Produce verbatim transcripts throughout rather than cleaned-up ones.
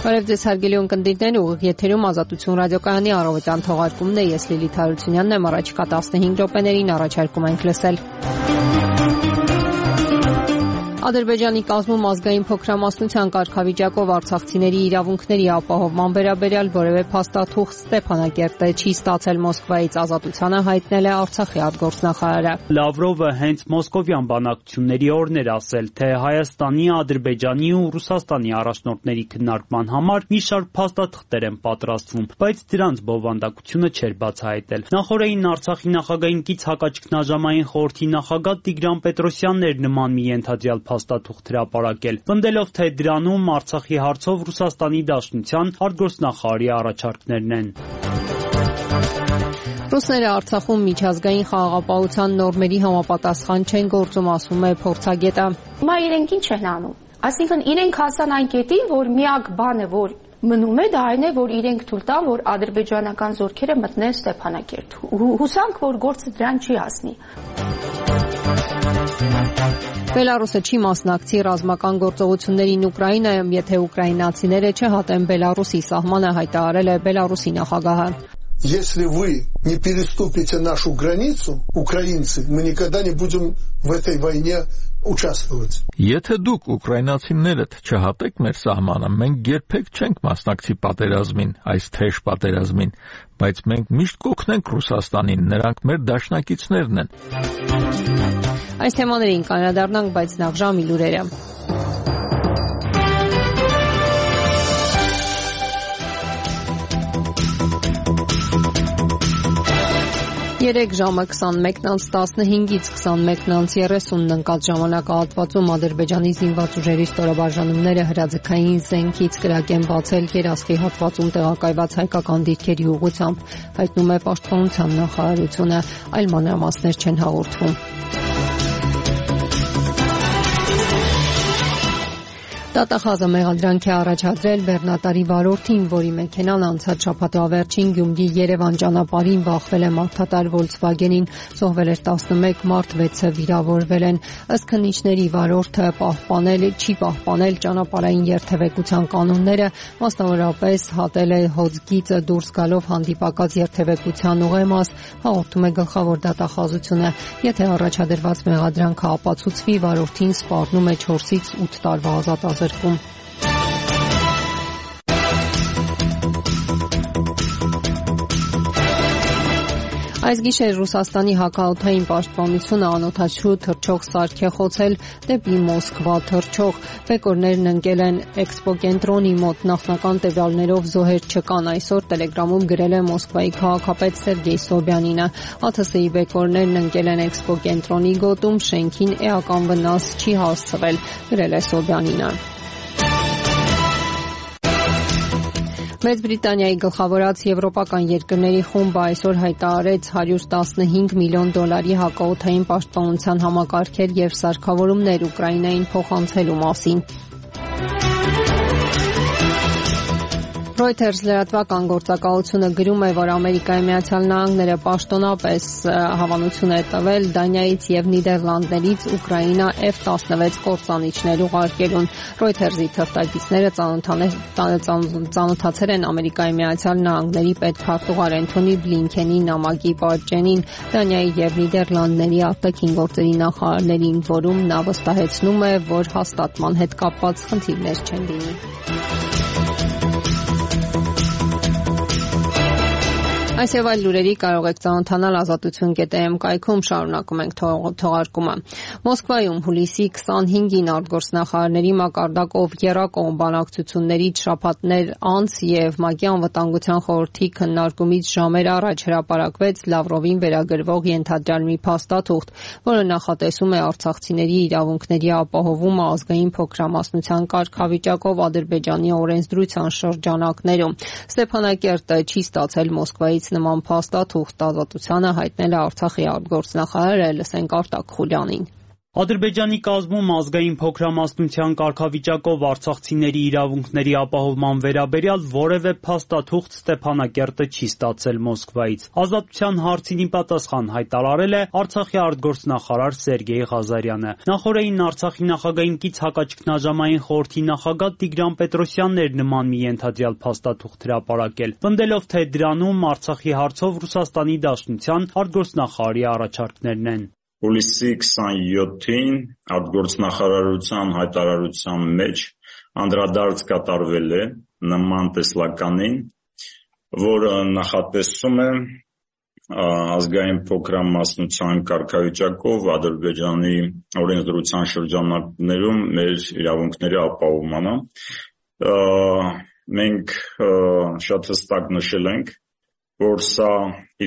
Բարև ձեզ հարգելի ունկնդիրներ, ուղիղ եթերում Ազատություն ռադիոկայանի առավոտյան թողարկումն է, ես Լիլիթ Հարությունյանն եմ, առաջիկա տասնհինգ րոպեներին առաջարկում ենք լսել։ Ադրբեջանի կազմում ազգային փոքրամասնության կարգավիճակով արցախցիների իրավունքների ապահովման վերաբերյալ որևէ փաստաթուղթ Ստեփանակերտը չի ստացել Մոսկվայից, Ազատությանը հայտնել է Արցախի արտգործնախարարը։ Լավրովը հենց մոսկովյան բանակցությունների օրն էր ասել, թե Հայաստանի, Ադրբեջանի ու Ռուսաստանի առաջնորդների քննարկման համար մի շարք փաստաթղթեր են պատրաստվում, բայց դրանց բովանդակությունը չէր բացահայտել։ Նախորդին Արցախի նախագահին կից հակաճգնաժամային խորհրդի նախագահ Տիգրան Պետրոսյանն էր նման մի ենթադրյալ փաստաթուղթ հրապարակել, պնդելով, թե դրանում Արցախի հարցով Ռուսաստանի Դաշնության արտգործնախարարի առաջարկներն են։ Ռուսները Արցախում միջազգային խաղաղապահության նորմերի համապատասխան չեն գործում, ասում է փորձագետը։ Հիմա իրենք ինչ են անում։ Այսինքն իրենք հասան այն կետին, որ միակ բանը, որ մնում է, դա այն է, որ իրենք թույլ տան, որ ադրբեջանական զորքերը մտնեն Ստեփանակերտ։ Հուսանք, որ գործը դրան չի հասնի։ Բելարուսը չի մասնակցի ռազմական գործողություններին Ուկրաինայում, եթե ուկրաինացիները չհատեն Բելարուսի սահմանը, հայտարարել է Բելարուսի նախագահը։ Если вы не переступите нашу границу, украинцы, мы никогда не будем в этой войне участвовать. Եթե դուք ուկրաինացիներդ չհատեք մեր սահմանը, մենք երբեք չենք մասնակցի պատերազմին, այս թեժ պատերազմին, բայց մենք միշտ կօգնենք Ռուսաստանին, նրանք մեր դաշնակիցներն են։ Այս թեմաներին կանրադառնանք, բայց նախ ժամի լուրերը։ Երեք ժամը քսանմեկն անց տասնհինգից քսանմեկն անց երեսունն ընկած ժամանակահատվածում Ադրբեջանի զինված ուժերի ստորաբաժանումները հրաձգային զենքից կրակ են բացել Երասխի հատվածում տեղակայված հայկական դիրքերի ուղղությամբ, հայտնում է Պաշտպանության նախարարությունը, այլ մանրամասներ չեն հաղորդվում։ Դատախազը մեղադրանք է առաջադրել բեռնատարի վարորդին, որի մեքենան անցած շաբաթվա վերջին Գյումրի-Երևան ճանապարհին բախվել է մարդատար Volkswagen-ին, զոհվել էր տասնմեկ մարդ, վեցը վիրավորվել են։ Ըստ քննիչների վարորդը պահպանել չի պահպանել ճանապարհային երթևեկության կանոնները, մասնավորապես հատել է հոձգիծը դուրս գալով հանդիպակաց երթևեկության ուղեմաս, հաղորդում է գլխավոր դատախազությունը։ Եթե առաջադրված մեղադրանքը ապացուցվի, վարորդին սպառնում է չորսից ութ տարվա ազատազրկում։ Այս գիշեր Ռուսաստանի հակաօդային պաշտպանությունը անօդաչու թռչող սարք է խոցել դեպի Մոսկվա թռչող։ Բեկորներն ընկել են Էքսպո կենտրոնի մոտ, նախնական տվյալներով զոհեր չկան, այսօր Տելեգրամում գրել է Մոսկվայի քաղաքապետ Սերգեյ Սոբյանինը։ ԱԹՍ-ի բեկորներն ընկել են Էքսպո կենտրոնի գոտում, շենքին էական վնաս չի հասցվել, գրել է Սոբյանինը։ Մեծ Բրիտանիայի գլխավորած եվրոպական երկրների խումբը այսօր հայտարարեց հարյուր տասնհինգ միլիոն դոլարի հակաօդային պաշտպանության համակարգեր եւ սարքավորումներ Ուկրաինային փոխանցելու մասին։ Reuters լրատվական գործակալությունը գրում է, որ Ամերիկայի Միացյալ Նահանգները պաշտոնապես հավանություն է տվել Դանիայից եւ Նիդերլանդներից Ուկրաինա F տասնվեց կործանիչներ ուղարկելուն։ Reuters-ի թղթակիցները ծանոթացել են Ամերիկայի Միացյալ Նահանգների պետքարտուղար Էնթոնի Բլինքենի նամակի պատճենին Դանիայի եւ Նիդերլանդների արտաքին գործերի նախարարներին, որում նա վստահեցնում է, որ հաստատման հետ կապված խնդիրներ չեն լինի։ Այս եւ այլ լուրերի կարող եք ծանոթանալ ազատություն կետ է էմ կայքում, շարունակում ենք թողարկումը։ Մոսկվայում հուլիսի քսանհինգին արտգործնախարարների մակարդակով եռակողմ բանակցություններից շաբաթներ անց եւ ՄԱԿ-ի անվտանգության խորհրդի քննարկումից ժամեր առաջ հրապարակվեց Լավրովին վերագրվող ենթադրյալ մի փաստաթուղթ, որը նախատեսում է արցախցիների իրավունքների ապահովումը ազգային փոքրամասնության կարգավիճակով Ադրբեջանի օրենսդրության շրջանակներում։ Ստեփանակերտը չի ստացել Մոսկվայից նման փաստաթուղթ, Ազատությանը հայտնել է Արցախի արտգործնախարարը, լսենք Արտակ Խուլյանին։ Ադրբեջանի կազմում ազգային փոքրամասնության կարգավիճակով արցախցիների իրավունքների ապահովման վերաբերյալ որևէ փաստաթուղթ Ստեփանակերտը չի ստացել Մոսկվայից։ Ազատության հարցին ի պատասխան հայտարարել է Արցախի արտգործնախարար Սերգեյ Ղազարյանը։ Նախորդին Արցախի նախագահին կից հակաճգնաժամային խորհրդի նախագահ Տիգրան Պետրոսյանն էր նման մի ենթադրյալ փաստաթուղթ հրապարակել, պնդելով, թե դրանում Արցախի հարցով Ռուսաստանի Դաշնության արտգործնախարարի առաջարկներն են։ Հուլիսի քսաներկուին արտգործնախարարության հայտարարության մեջ անդրադարձ կատարվել է նման տեսլականին, որը նախատեսում է ազգային փոքրամասնության կարգավիճակով Ադրբեջանի օրենսդրության շրջանակներում մեր իրավունքների ապահովմանը։ Մենք շատ հստակ նշել ենք, որ սա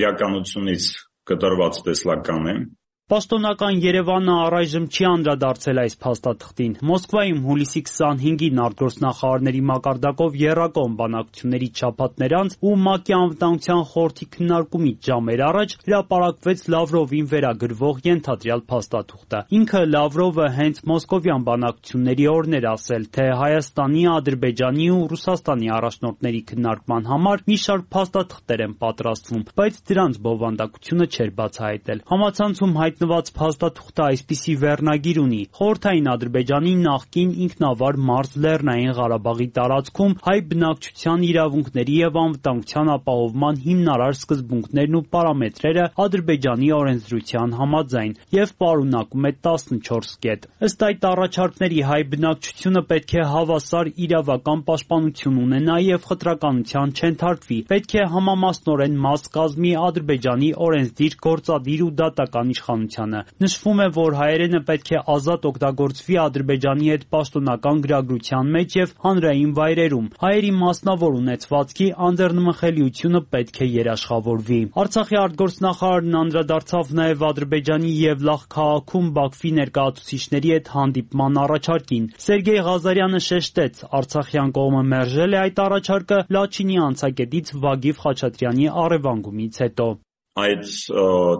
իրականությունից կտրված տեսլական է։ Պաշտոնական Երևանը առայժմ չի անդրադարձել այս փաստաթղթին։ Մոսկվայում հուլիսի քսանհինգին արտգործնախարարների մակարդակով եռակողմ բանակցությունների չափածներ անց ու ՄԱԿ-ի անվտանգության խորհրդի քննարկումից ժամեր առաջ հրապարակվեց Լավրովին վերագրվող ենթադրյալ փաստաթուղթը։ Ինքը Լավրովը հենց մոսկովյան բանակցությունների օրն էր ասել, թե Հայաստանի, Ադրբեջանի ու Ռուսաստանի առաջնորդների քննարկման համար մի շարք փաստաթղթեր են պատրաստվում, բայց դրանց բովանդակությունը չէր բացահայտել։ Համացանցում հայտնված փաստաթուղթը այսպիսի վերնագիր ունի. Խորհրդային Ադրբեջանի նախկին ինքնավար Մարզ Լեռնային Ղարաբաղի տարածքում հայ բնակչության իրավունքների եւ անվտանգության ապահովման հիմնարար սկզբունքներն ու պարամետրերը Ադրբեջանի օրենսդրության համաձայն եւ պարունակում է տասնչորս կետ։ Ըստ այդ առաջարկների հայ բնակչությունը պետք է հավասար իրավական պաշտպանություն ունենա եւ խտրականության չենթարկվի, պետք է համամասնորեն մաս կազմի Ադրբեջանի օրենսդիր, գործադիր ու դատական իշխանությանը։ Նշվում է, որ հայերենը պետք է ազատ օգտագործվի Ադրբեջանի հետ պաշտոնական գրագրության մեջ եւ հանրային վայրերում։ Հայերի մասնավոր ունեցվածքի անձեռնմխելիությունը պետք է երաշխավորվի։ Արցախի արտգործնախարարն անդրադարձավ նաեւ Ադրբեջանի Եվլախ քաղաքում Բաքվի ներկայացուցիչների հետ հանդիպման առաջարկին։ Սերգեյ Ղազարյանը շեշտեց, արցախյան կողմը մերժել է այդ առաջարկը Լաչինի անցակետից Վագիվ Խաչատրյանի առևանգումից հետո։ Այդ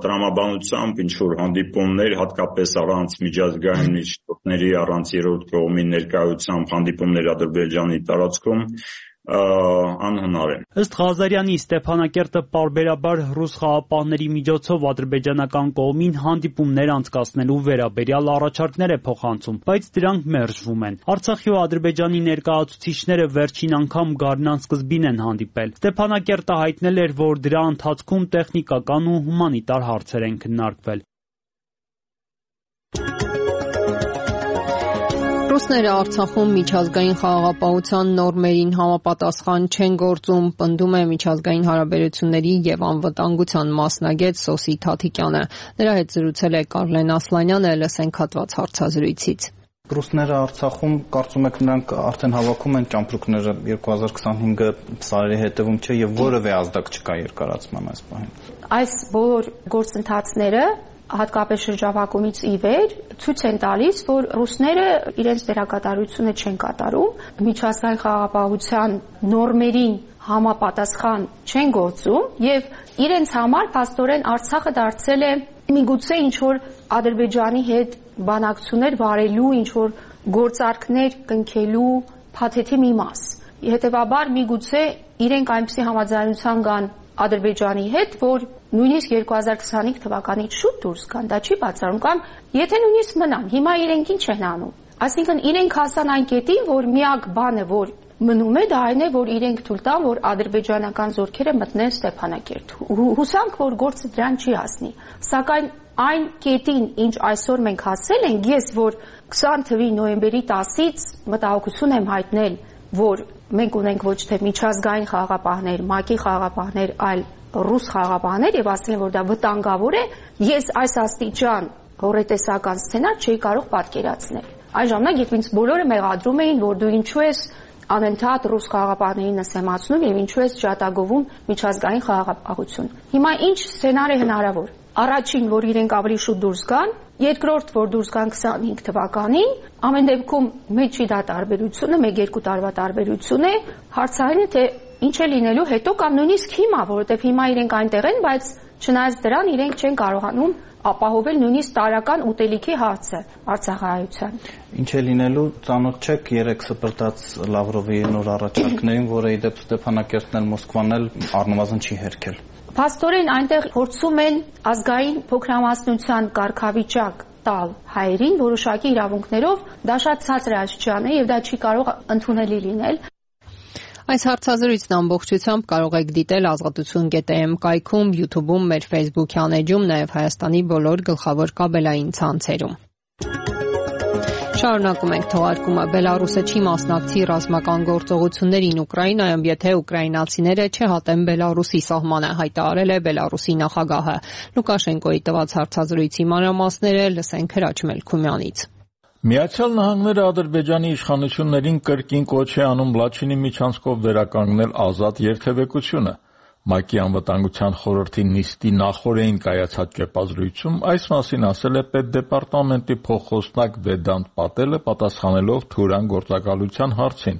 տրամաբանությամբ ինչ-որ հանդիպումներ, հատկապես առանց միջազգային միջոցների, առանց երրորդ կողմի ներկայությամբ հանդիպումներ Ադրբեջանի տարածքում անհնար է։ Ըստ Ղազարյանի, Ստեփանակերտը պարբերաբար ռուս խաղապահների միջոցով ադրբեջանական կողմին հանդիպումներ անցկացնելու վերաբերյալ առաջարկներ է փոխանցում, բայց դրանք մերժվում են։ Արցախի ու Ադրբեջանի ներկայացուցիչները վերջին անգամ գարնան սկզբին են հանդիպել։ Ստեփանակերտը հայտնել էր, որ դրա ընթացքում տեխնիկական ու հումանիտար հարցեր են քննարկվել։ Ռուսները Արցախում միջազգային խաղաղապահության նորմերին համապատասխան չեն գործում, պնդում է միջազգային հարաբերությունների եւ անվտանգության մասնագետ Սոսի Թաթիկյանը։ Նրա հետ զրուցել է Կարլեն Ասլանյանը, լսենք հատված հարցազրույցից։ Ռուսները Արցախում, կարծում եք, նրանք արդեն հավաքում են ճամպրուկները երկու հազար քսանհինգը սարերի հետևում չէ եւ որևէ ազդակ չկա երկարացման այս պահին։ Այս բոլոր գործընթացները հատկապես շրջափակումից ի վեր ցույց են տալիս, որ ռուսները իրենց դերակատարությունը չեն կատարում, միջազգային խաղաղապահության նորմերին համապատասխան չեն գործում եւ իրենց համար փաստորեն Արցախը դարձել է միգուցե ինչ-որ Ադրբեջանի հետ բանակցություններ վարելու, ինչ-որ գործարքներ կնքելու փաթեթի մի մաս։ Հետևաբար միգուցե իրենք այնպիսի համաձայնության կան Ադրբեջանի հետ, որ նույնիսկ երկու հազար քսանհինգ թվականից շուտ դուրս գան, դա չի բացառում, կամ եթե նույնիսկ մնան, հիմա իրենք ինչ են անում։ Այսինքն իրենք հասան այն կետին, որ միակ բանը, որ մնում է, դա այն է, որ իրենք թույլ տան, որ ադրբեջանական զորքերը մտնեն Ստեփանակերտ։ Հուսանք, որ գործը դրան չի հասնի։ Սակայն այն կետին, ինչ այսօր մենք հասել ենք, ես որ քսան թվականի նոյեմբերի տասից մտահոգություն եմ հայտնել, որ մենք ունենք ոչ թե միջազգային խաղաղապահներ, ՄԱԿ-ի խաղաղապահներ, այլ ռուս խաղաղապահներ եւ ասել են, որ դա վտանգավոր է, ես այս աստիճան հորետեսական սցենար չէի կարող պատկերացնել։ Այն ժամանակ, երբ ինձ բոլորը մեղադրում էին, որ դու ինչու ես անընդհատ ռուս խաղաղապահներին նսեմացնում եւ ինչու ես ջատագովում միջազգային խաղաղապահություն։ Հիմա ինչ սցենար է հնարավոր։ Առաջին, որ իրենք ավելի շուտ դուրս գան, երկրորդ, որ դուրս գան քսանհինգ թվականին, ամեն դեպքում մեջի դա տարբերությունը, մեկ-երկու տարվա տարբերություն է, հարցային է, թե ինչ է լինելու հետո կամ նույնիսկ հիմա, որովհետև հիմա իրենք այնտեղ են, բայց չնայած դրան իրենք չեն կարողանում ապահովել նույնիսկ տարական ուտելիքի հարցը Արցախահայության։ Ինչ է լինելու, ծանոթ չեք երեք սպրտած Լավրովի նոր առաջարկներին, որը ի դեպ Ստեփանակերտն էլ Մոսկվան էլ առնվազն չի հերքել։ Փաստորեն այնտեղ փորձում են ազգային փոքրամասնության կարգավիճակ տալ հայերին որոշակի իրավունքներով, դա շատ ցածր աստիճան է եւ դա չի կարող ընդունելի լինել։ Այս հարցազրույցն ամբողջությամբ կարող եք դիտել ազատություն.am կայքում, YouTube-ում, մեր Facebook-յան էջում, նաև Հայաստանի բոլոր գլխավոր կաբելային ցանցերում։ Շարունակում ենք թողարկումը։ Բելարուսը չի մասնակցի ռազմական գործողություններին Ուկրաինայում, եթե ուկրաինացիները չհատեն Բելարուսի սահմանը, հայտարարել է Բելարուսի նախագահը։ Լուկաշենկոյի տված հարցազրույցի մանրամասները լսենք Հրաչ Մելքումյանից։ Միացյալ Նահանգները Ադրբեջանի իշխանություններին կրկին կոչ է անում Լաչինի միջանցքով վերականգնել ազատ երթևեկությունը։ ՄԱԿ-ի անվտանգության խորհրդի նիստի նախօրեին կայացած կեպազրույցում այս մասին ասել է Պետդեպարտամենտի փոխխոսնակ Վեդանտ Պատելը, պատասխանելով Թուրան գործակալության հարցին։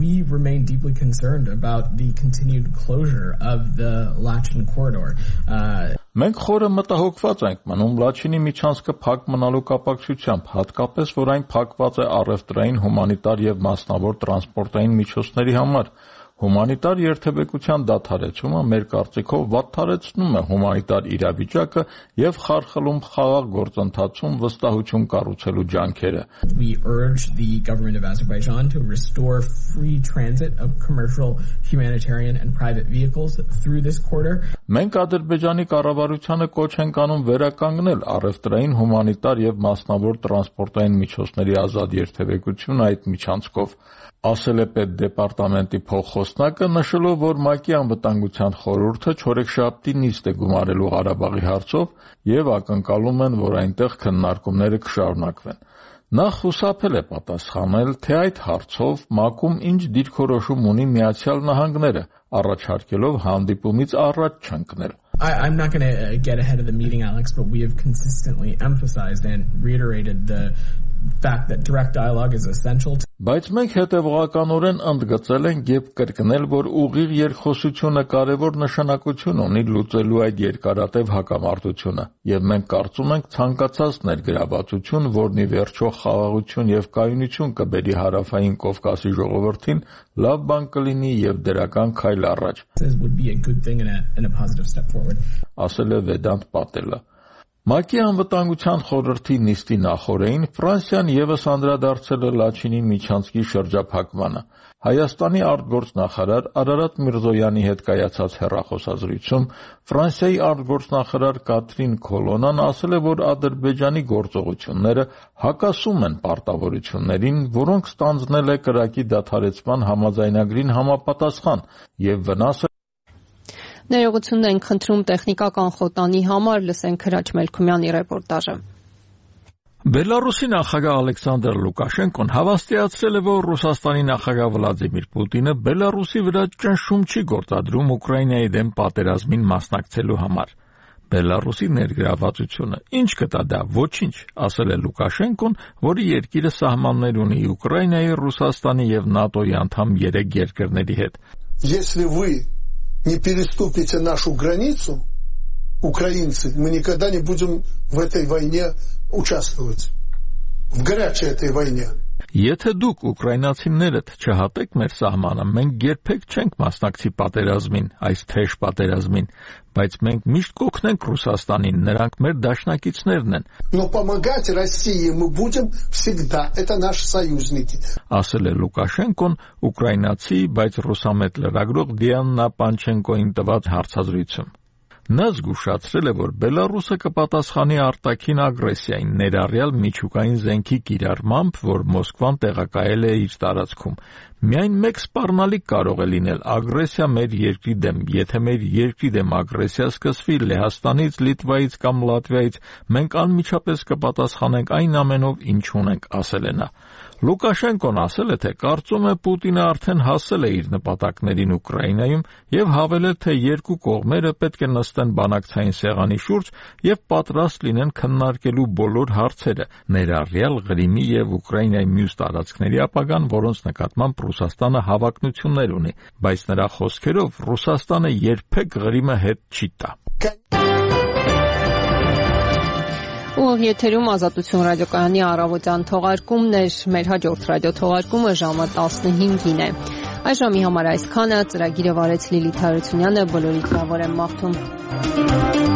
We remain deeply concerned about the continued closure of the Lachin corridor. Uh, Մենք խորը մտահոգված ենք մնում Լաչինի միջանցքը փակ մնալու կապակցությամբ, հատկապես որ այն փակված է առևտրային, հումանիտար եւ մասնավոր տրանսպորտային միջոցների համար։ Հումանիտար երթևեկության դադարեցումը մեր կարծիքով վատթարեցնում է հումանիտար իրավիճակը եւ խարխլում խաղաղ գործընթացում վստահություն կառուցելու ջանքերը։ We urge the government of Azerbaijan to restore free transit of commercial, humanitarian and private vehicles through this corridor. Մենք Ադրբեջանի կառավարությանը կոչ ենք անում վերականգնել առևտրային, հումանիտար եւ մասնավոր տրանսպորտային միջոցների ազատ երթևեկությունը այդ միջանցքով, ասել է Պետդեպարտամենտի փոխխոսնակը, նշելով, որ ՄԱԿ-ի անվտանգության խորհուրդը չորեքշաբթի նիստ է գումարելու Ղարաբաղի հարցով եւ ակնկալում են, որ այնտեղ քննարկումները կշարունակվեն։ Նա խուսափել է պատասխանել, թե այդ հարցով ՄԱԿ-ում ինչ դիրքորոշում ունի Միացյալ Նահանգները, առաջարկելով հանդիպումից առաջ չընկնել։ I, I'm not going to get ahead of the meeting, Alex, but we have consistently emphasized and reiterated the fact that direct dialogue is essential to Բայց մենք հետևողականորեն ընդգծել ենք եւ կրկնել, որ ուղիղ երկխոսությունը կարևոր նշանակություն ունի լուծելու այդ երկարատև հակամարտությունը, եւ մենք կարծում ենք ցանկացած ներգրավվածություն, որն ի վերջո խաղաղություն եւ կայունություն կբերի Հարավային Կովկասի ժողովրդին, լավ բան կլինի եւ դրական քայլ առաջ, ասել է Վեդանտ Պատելը։ ՄԱԿ-ի անվտանգության խորհրդի նիստի նախօրեին Ֆրանսիան եւս անդրադարձել է Լաչինի միջանցքի շրջափակմանը։ Հայաստանի արտգործնախարար Արարատ Միրզոյանի հետ կայացած հեռախոսազրույցում Ֆրանսիայի արտգործնախարար Կատրին Քոլոնան ասել է, որ Ադրբեջանի գործողությունները հակասում են պարտավորություններին, որոնք ստանձնել է կրակի դադարեցման համաձայնագրին համապատասխան եւ վնաս Ներողություն ենք խնդրում տեխնիկական խոտանի համար, լսենք Հրաչ Մելքումյանի ռեպորտաժը։ Բելարուսի նախագահ Ալեքսանդր Լուկաշենկոն հավաստիացրել է, որ Ռուսաստանի նախագահ Վլադիմիր Պուտինը Բելարուսի վրա ճնշում չի գործադրում Ուկրաինայի դեմ պատերազմին մասնակցելու համար։ Բելարուսի ներգրավվածությունը ինչ կտա դա, ոչինչ, ասել է Լուկաշենկոն, որի երկիրը սահմաններ ունի Ուկրաինայի, Ռուսաստանի եւ ՆԱՏՕ-ի անդամ երեք երկրների հետ։ Если вы не переступите нашу границу, украинцы, мы никогда не будем в этой войне участвовать. В горячей этой войне. Եթե դուք ուկրաինացիներդ չհատեք մեր սահմանը, մենք երբեք չենք մասնակցի պատերազմին, այս թեժ պատերազմին, բայց մենք միշտ կօգնենք Ռուսաստանին, նրանք մեր դաշնակիցներն են։ Но помогать России мы будем всегда. Это наши союзники. Ասել է Լուկաշենկոն ուկրաինացի, բայց ռուսամետ լրագրող Դիանա Պանչենկոին տված հարցազրույցում։ Նա զգուշացրել է, որ Բելարուսը կպատասխանի արտաքին ագրեսիային, ներառյալ միջուկային զենքի կիրառմամբ, որ Մոսկվան տեղակայել է իր տարածքում։ Միայն մեկ սպառնալիք կարող է լինել ագրեսիա մեր երկրի դեմ, եթե մեր երկրի դեմ ագրեսիա սկսվի Լեհաստանից, Լիտվայից կամ Լատվիայից, մենք անմիջապես կպատասխանենք այն ամենով, ինչ ունենք, ասել է նա։ Լուկաշենկոն ասել է, թե կարծում է Պուտինը արդեն հասել է իր նպատակներին Ուկրաինայում եւ հավելել, թե երկու կողմերը պետք է նստեն բանակցային սեղանի շուրջ եւ պատրաստ լինեն քննարկելու բոլոր հարցերը, ներառյալ Ղրիմի եւ Ուկրաինայի մյուս տարածքների ապագան, որոնց նկատմամբ Ռուսաստանը հավակնություններ ունի, բայց նրա խոսքերով Ռուսաստանը երբեք Ղրիմը հետ չի տա։ Ու եթերում Ազատություն ռադիոկայանի առավոտյան թողարկումներ, մեր հաջորդ ռադիո թողարկումը ժամը տասնհինգին է։ Այս ժամի համար այսքանը, ծրագիրը վարեց Լիլիթ Հարությունյանը, բոլորիդ լավ օր եմ մաղթում։